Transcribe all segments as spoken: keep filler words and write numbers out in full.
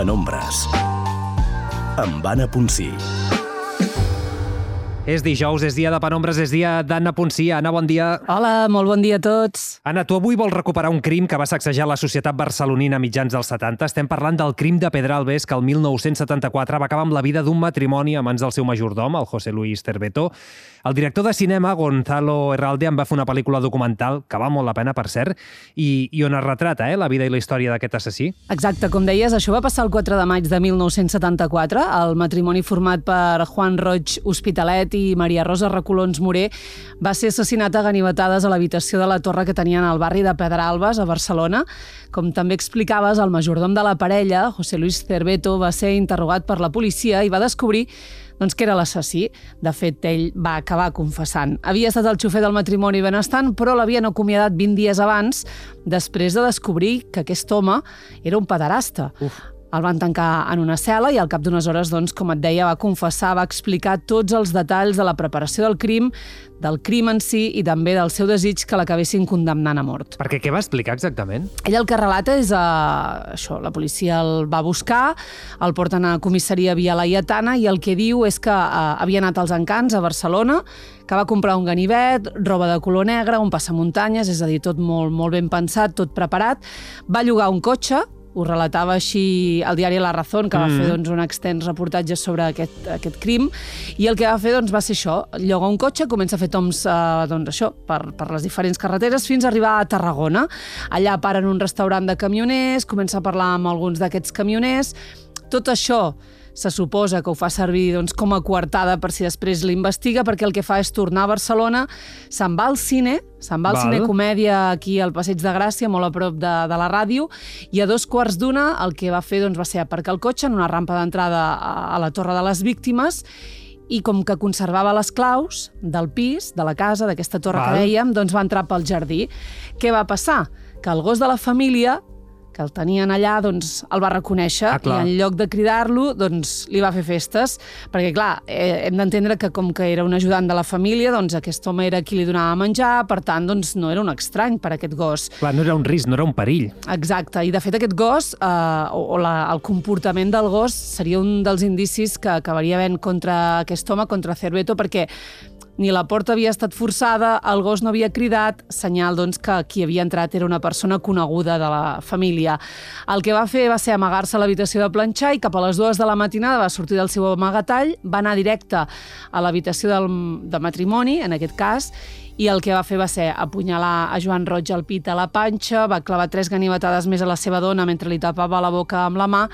Penombres, amb Anna Ponsí. És dijous, és dia de Penombres, és dia d'Anna Ponsí. Anna, bon dia. Hola, molt bon dia a tots. Anna, tu avui vols recuperar un crim que va sacsejar la societat barcelonina a mitjans dels setanta. Estem parlant del crim de Pedralbes, que el mil nou-cents setanta-quatre va acabar amb la vida d'un matrimoni a mans del seu majordom, el José Luis Cerveto. El director de cinema, Gonzalo Herralde, en va fer una pel·lícula documental, que val molt la pena, per cert, i, i on es retrata eh, la vida i la història d'aquest assassí. Exacte, com deies, això va passar el quatre de maig de mil nou-cents setanta-quatre. El matrimoni format per Juan Roig Hospitalet i Maria Rosa Recolons Moré va ser assassinat a ganivetades a l'habitació de la torre que tenien al barri de Pedralbes, a Barcelona. Com també explicaves, el majordom de la parella, José Luis Cerveto, va ser interrogat per la policia i va descobrir doncs, que era l'assassí. De fet, ell va acabar confessant. Havia estat el xofer del matrimoni benestant, però l'havien acomiadat vint dies abans, després de descobrir que aquest home era un pederasta. Uf. El van tancar en una cel·la i al cap d'unes hores, doncs, com et deia, va confessar, va explicar tots els detalls de la preparació del crim, del crim en si i també del seu desig que l'acabessin condemnant a mort. Perquè què va explicar exactament? Ell el que relata és uh, això, la policia el va buscar, el porten a comissaria Via Laietana i el que diu és que uh, havia anat als Encants, a Barcelona, que va comprar un ganivet, roba de color negre, un passamuntanyes, és a dir, tot molt, molt ben pensat, tot preparat, va llogar un cotxe, ho relatava així el diari La Razón, que va mm. fer doncs, un extens reportatge sobre aquest, aquest crim, i el que va fer doncs, va ser això, lloga un cotxe, comença a fer toms eh, doncs, això, per, per les diferents carreteres fins a arribar a Tarragona. Allà para en un restaurant de camioners, comença a parlar amb alguns d'aquests camioners. Tot això se suposa que ho fa servir doncs, com a coartada per si després l'investiga, perquè el que fa és tornar a Barcelona, se'n va al cine, se'n va al cine comèdia aquí al Passeig de Gràcia, molt a prop de, de la ràdio, i a dos quarts d'una el que va fer doncs, va ser aparcar el cotxe en una rampa d'entrada a, a la Torre de les Víctimes, i com que conservava les claus del pis, de la casa, d'aquesta torre Val. que dèiem, doncs va entrar pel jardí. Què va passar? Que el gos de la família, que el tenien allà, doncs el va reconèixer ah, i en lloc de cridar-lo, doncs li va fer festes. Perquè, clar, eh, hem d'entendre que com que era un ajudant de la família, doncs aquest home era qui li donava menjar, per tant, doncs no era un estrany per aquest gos. Clar, no era un risc, no era un perill. Exacte, i de fet aquest gos, eh, o, o la, el comportament del gos, seria un dels indicis que acabaria havent contra aquest home, contra Cerveto, perquè ni la porta havia estat forçada, el gos no havia cridat, senyal doncs, que qui havia entrat era una persona coneguda de la família. El que va fer va ser amagar-se a l'habitació de planxar i cap a les dues de la matinada va sortir del seu amagatall, va anar directe a l'habitació del, de matrimoni, en aquest cas, i el que va fer va ser apunyalar a Joan Roig al pit a la panxa, va clavar tres ganivetades més a la seva dona mentre li tapava la boca amb la mà,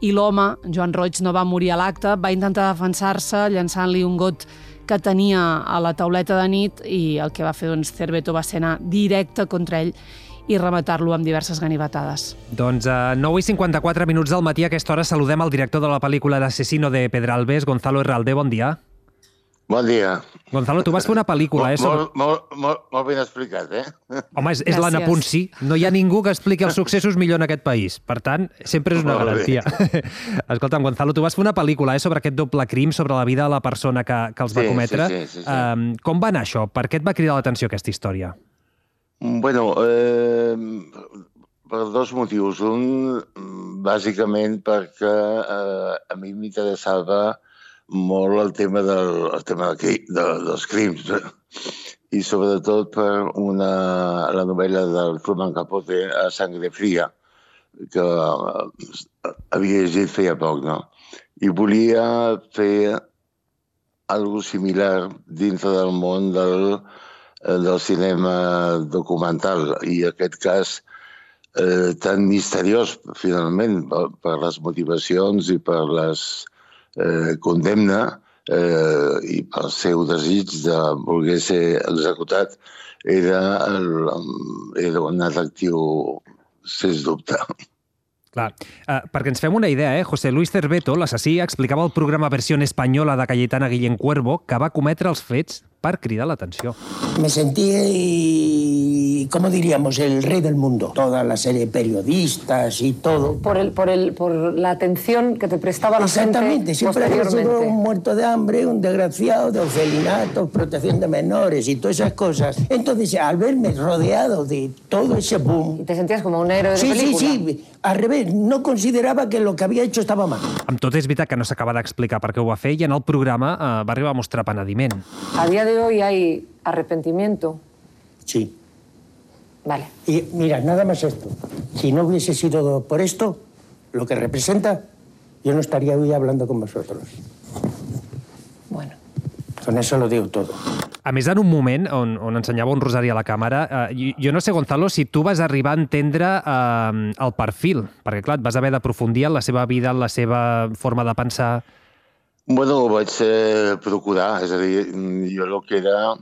i l'home, Joan Roig, no va morir a l'acte, va intentar defensar-se llançant-li un got que tenia a la tauleta de nit i el que va fer doncs, Cerveto va ser anar directe contra ell i rematar-lo amb diverses ganivetades. Doncs a nou i cinquanta-quatre minuts del matí a aquesta hora saludem el director de la pel·lícula L'asesino de Pedralbes, Gonzalo Herralde. Bon dia. Bon dia. Gonzalo, tu vas fer una pel·lícula, eh? Sobre... Molt, molt, molt, molt ben explicat, eh? Home, és, és l'Anna Ponsí. No hi ha ningú que expliqui els successos millor en aquest país. Per tant, sempre és una molt garantia. Escolta'm, Gonzalo, tu vas fer una pel·lícula eh, sobre aquest doble crim, sobre la vida de la persona que, que els va sí, cometre. Sí, sí, sí, sí. Um, com va anar això? Per què et va cridar l'atenció aquesta història? Bueno, eh, per dos motius. Un, bàsicament, perquè eh, a mi m'interessava molt el tema, del, el tema de, de, dels crims i sobretot per una, la novel·la del Truman Capote, A Sangre Fria, que havia llegit feia poc, no? I volia fer alguna similar dintre del món del, del cinema documental i en aquest cas eh, tan misteriós, finalment, per, per les motivacions i per les Eh, condemna eh, i pel seu desig de voler ser executat era, el, era un atractiu sens dubte. Clar, uh, perquè ens fem una idea, eh? José Luis Cerveto, l'assassí, explicava al programa Versió Espanyola de Cayetana Guillén Cuervo que va cometre els fets per cridar l'atenció. Me sentí, ¿cómo diríamos?, el rey del mundo. Toda la serie de periodistas y todo. Por, el, por, el, por la atención que te prestaba la gente Exactamente, siempre había sido un muerto de hambre, un desgraciado, de orfelinato, protección de menores y todas esas cosas. Entonces, al verme rodeado de todo ese boom... ¿Y te sentías como un héroe de sí, película? Sí, sí, al revés. sé, no consideraba que lo que había hecho estaba mal. Amb tot és veritat que no s'acaba d'explicar per què ho va fer i en el programa eh, va arribar a mostrar penediment. A día de hoy hay arrepentimiento. Sí. Vale. Y mira, nada más esto. Si no hubiese sido por esto, lo que representa, yo no estaría hoy hablando con vosotros. Bueno. Con eso lo digo todo. A més, en un moment on, on ensenyava un rosari a la càmera, eh, jo no sé, Gonzalo, si tu vas arribar a entendre eh, el perfil, perquè, clar, et vas haver d'aprofundir en la seva vida, en la seva forma de pensar. Bueno, ho vaig eh, procurar, és a dir, jo el que era...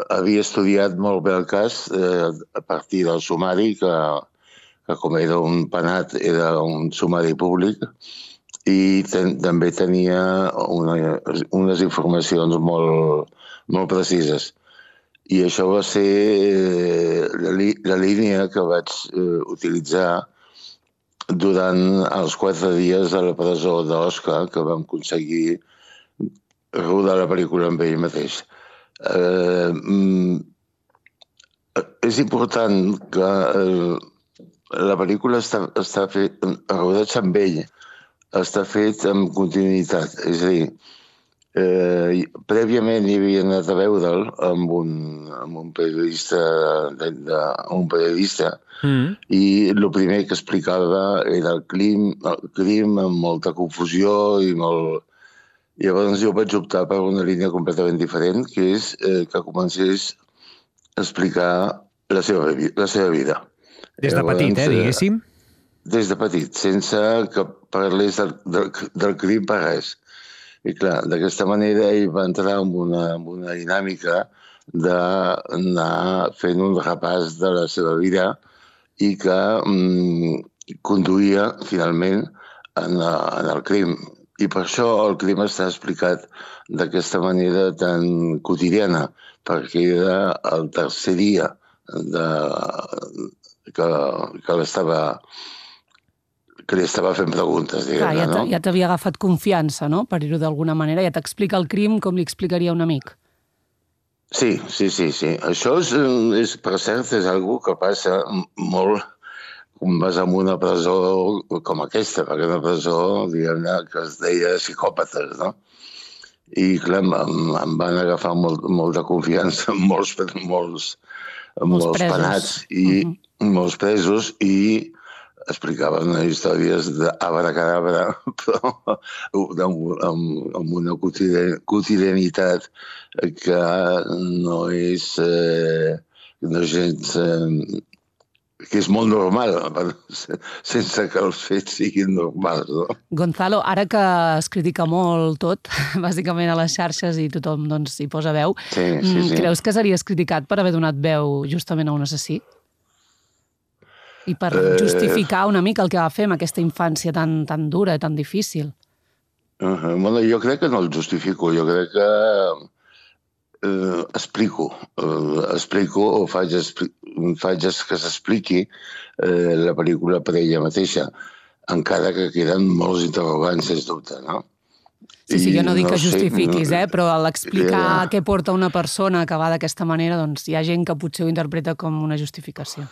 Havia estudiat molt bé el cas eh, a partir del sumari, que, que com era un penat, era un sumari públic, i ten, també tenia una, unes informacions molt, molt precises. I això va ser eh, la, la línia que vaig eh, utilitzar durant els quatre dies a la presó d'Osca, que vam aconseguir rodar la pel·lícula amb ell mateix. Uh, mm, és important que uh, la pel·lícula està, està fet, el rodatge amb ell està fet amb continuïtat. És a dir, uh, prèviament hi havia anat a veure'l amb un, amb un periodista, de, de, un periodista mm. i el primer que explicava era el crim, el crim amb molta confusió i molt... Llavors jo vaig optar per una línia completament diferent, que és eh, que comencés a explicar la seva, la seva vida. Des de Llavors, petit, eh, diguéssim? Des de petit, sense que parlés del, del, del crim per res. I clar, d'aquesta manera ell va entrar en una, en una dinàmica d'anar fent un repàs de la seva vida i que mm, conduïa finalment en, en el crim. I per això el crim està explicat d'aquesta manera tan quotidiana, perquè era el tercer dia de, que, que, que li estava fent preguntes. Clar, ja no? ja t'havia agafat confiança, no?, per dir-ho d'alguna manera. Ja t'explica el crim com li explicaria un amic. Sí, sí, sí. sí. Això, és, és, per cert, és algo que passa molt... quan vas a una presó com aquesta, perquè una presó, diguem-ne, que es deia psicòpates, no? I, clar, em, em van agafar molt, molta confiança en molts, molts, molts, molts penats i uh-huh. molts presos i explicaven històries d'abracadabra, però amb, amb, amb una quotidianitat que no és, eh, no és gens... Eh, que és molt normal, sense que els fets siguin normals. No? Gonzalo, ara que es critica molt tot, bàsicament a les xarxes i tothom doncs, hi posa veu, sí, sí, sí. creus que series criticat per haver donat veu justament a un assassí? I per eh... justificar una mica el que va fer amb aquesta infància tan, tan dura i tan difícil? Uh-huh. Bueno, jo crec que no el justifico, jo crec que eh, explico, eh, explico o faig, faig que s'expliqui eh, la pel·lícula per ella mateixa, encara que queden molts interrogants, sens dubte, no? Sí, sí, jo no dic no que justifiquis, sé, no, eh, però a l'explicar yeah. què porta una persona que va d'aquesta manera, doncs hi ha gent que potser ho interpreta com una justificació.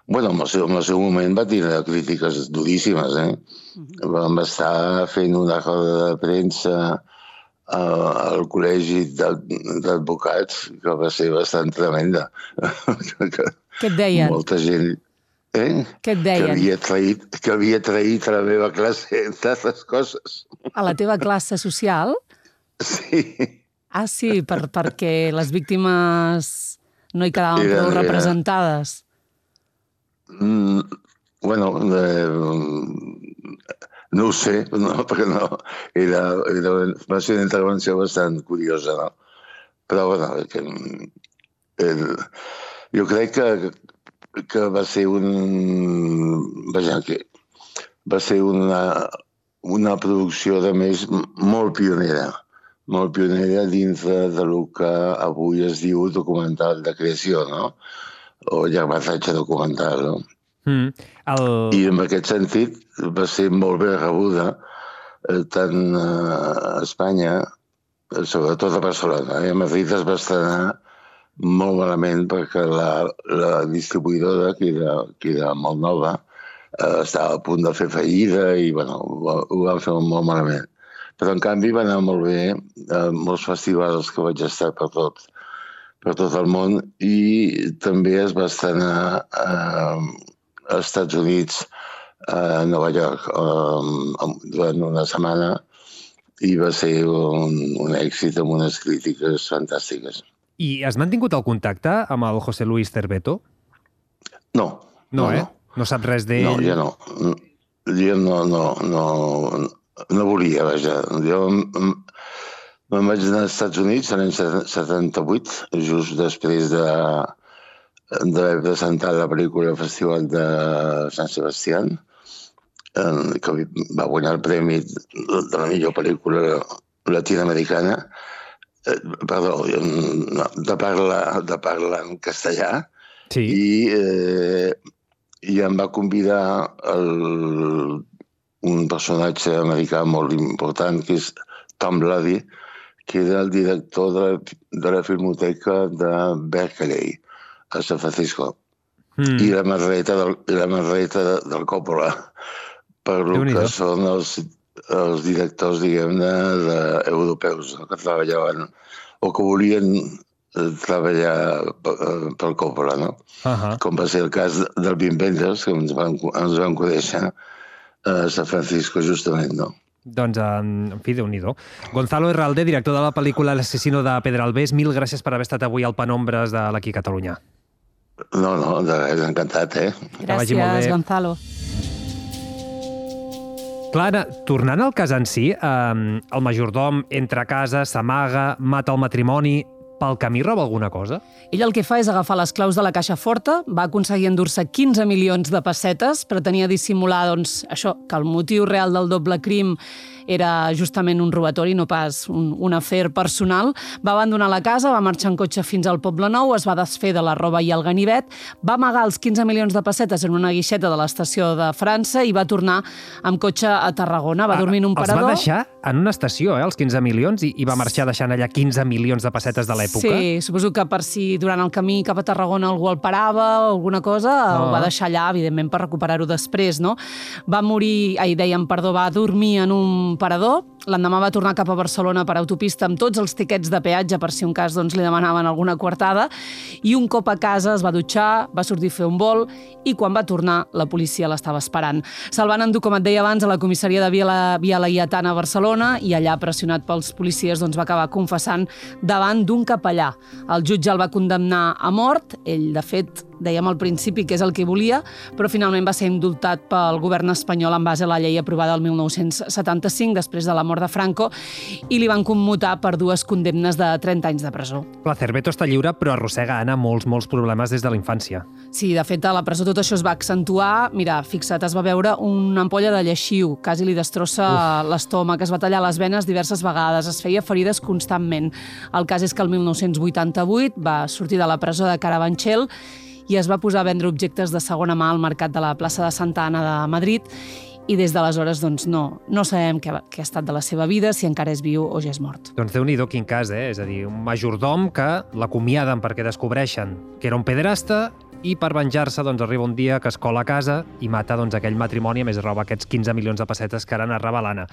Bueno, en el seu, en el seu moment va tenir crítiques duríssimes, eh? Uh-huh. Vam estar fent una roda de premsa al col·legi d'advocats, que va ser bastant tremenda. Què et deien? Molta gent... Eh? Què et deien? Que havia traït, que havia traït a la meva classe, entre altres coses. A la teva classe social? Sí. Ah, sí, per, perquè les víctimes no hi quedaven prou representades. Mm, bueno, eh, no ho sé, no, perquè no, era, era, va ser una intervenció bastant curiosa, no? Però, bueno, que, el, jo crec que, que va ser un... Vaja, que va ser una, una producció, de més, molt pionera, molt pionera dintre del que avui es diu documental de creació, no? O llargmetratge documental, no? Mm, el... I en aquest sentit va ser molt bé rebuda eh, tant a Espanya, sobretot a Barcelona. Eh? A Madrid es va estrenar molt malament perquè la, la distribuïdora, que era, que era molt nova, eh, estava a punt de fer fallida i, bueno, ho, ho van fer molt malament. Però, en canvi, va anar molt bé a molts festivals que vaig estar per tot, per tot el món i també es va estrenar a, als Estats Units, a Nova York, um, durant una setmana i va ser un, un èxit amb unes crítiques fantàstiques. I has mantingut el contacte amb el José Luis Cerveto? No. No, no eh? No, no saps res d'ell? No, jo no. Jo no, no, no, no volia, vaja. Jo me'n vaig anar als Estats Units l'any setanta-vuit, just després de, d'haver presentat la pel·lícula al Festival de Sant Sebastián, que va guanyar el premi de la millor pel·lícula latinoamericana, perdó, de parla, de parla en castellà, sí. i, eh, i em va convidar el, un personatge americà molt important, que és Tom Bloody, que era el director de la, de la filmoteca de Berkeley, a San Francisco, mm. i la Margareta del, i la Margareta del Coppola, per lo que són els, els directors, diguem-ne, de, europeus, que treballaven o que volien treballar pel Coppola, no? Uh-huh. Com va ser el cas del Wim Wenders, que ens van, ens van conèixer a San Francisco, justament, no? Doncs, en fi, Déu-n'hi-do. Gonzalo Herralde, director de la pel·lícula L'asesino de Pedralbés, mil gràcies per haver estat avui al Penombres de l'Aquí Catalunya. No, no, de res, encantat, eh? Gràcies, Gonzalo. Clara, tornant al cas en si, eh, el majordom entra a casa, s'amaga, mata el matrimoni. Pel camí roba alguna cosa? Ell el que fa és agafar les claus de la caixa forta, va aconseguir endur-se quinze milions de pessetes, pretenia dissimular, doncs, això, que el motiu real del doble crim era justament un robatori, no pas un, un afer personal. Va abandonar la casa, va marxar en cotxe fins al Poble Nou, es va desfer de la roba i el ganivet, va amagar els quinze milions de pessetes en una guixeta de l'estació de França i va tornar amb cotxe a Tarragona. Va dormir en un parador. Els va deixar en una estació, eh, els quinze milions, i, i va marxar deixant allà quinze milions de pessetes de l'època? Sí, suposo que per si durant el camí cap a Tarragona algú el parava o alguna cosa, no. Ho va deixar allà, evidentment, per recuperar-ho després, no? Va morir, ai, dèiem, perdó, va dormir en un parador, l'endemà va tornar cap a Barcelona per autopista amb tots els tiquets de peatge per si un cas doncs, li demanaven alguna coartada, i un cop a casa es va dutxar, va sortir a fer un vol i quan va tornar la policia l'estava esperant. Se'l van endur, com et deia abans, a la comissaria de Via, Via Laietana a Barcelona i allà, pressionat pels policies, doncs, va acabar confessant davant d'un capellà. El jutge el va condemnar a mort, ell, de fet, dèiem al principi que és el que volia, però finalment va ser indultat pel govern espanyol en base a la llei aprovada el mil nou-cents setanta-cinc, després de la mort de Franco, i li van commutar per dues condemnes de trenta anys de presó. La Cerveto està lliure, però arrossega, Anna, molts, molts problemes des de la infància. Sí, de fet, a la presó tot això es va accentuar. Mira, fixa't, es va veure una ampolla de lleixiu, quasi li destrossa l'estómac, es va tallar les venes diverses vegades, es feia ferides constantment. El cas és que el mil nou-cents vuitanta-vuit va sortir de la presó de Carabanchel i es va posar a vendre objectes de segona mà al mercat de la plaça de Santa Anna de Madrid i des d'aleshores doncs, no, no sabem què, què ha estat de la seva vida, si encara és viu o ja és mort. Doncs Déu-n'hi-do quin cas, eh? És a dir, un majordom que l'acomiaden perquè descobreixen que era un pederasta i per venjar-se doncs, arriba un dia que es cola a casa i mata doncs, aquell matrimoni, a més roba aquests quinze milions de pessetes que ara narrava l'Anna.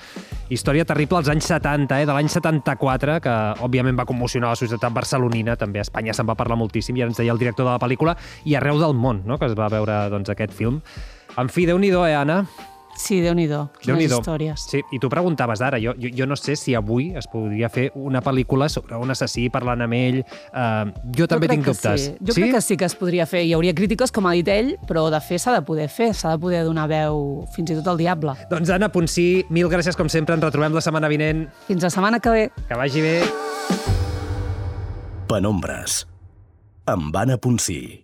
Història terrible als anys setanta, eh? De l'any setanta-quatre, que òbviament va commocionar la societat barcelonina, també a Espanya se'n va parlar moltíssim, i ara ens deia el director de la pel·lícula, i arreu del món, no?, que es va veure doncs, aquest film. En fi, Déu-n'hi-do, eh, Anna? Sí, Déu-n'hi-do, quines històries. Sí, i tu preguntaves ara, jo, jo, jo no sé si avui es podria fer una pel·lícula sobre un assassí parlant amb ell. Uh, jo també jo tinc dubtes. Sí. Jo sí? crec que sí que es podria fer. Hi hauria crítiques, com ha dit ell, però de fer s'ha de poder fer, s'ha de poder donar veu fins i tot al diable. Doncs Anna Ponsí, mil gràcies com sempre, ens retrobem la setmana vinent. Fins la setmana que ve. Que vagi bé. Penombres, amb Anna Ponsí.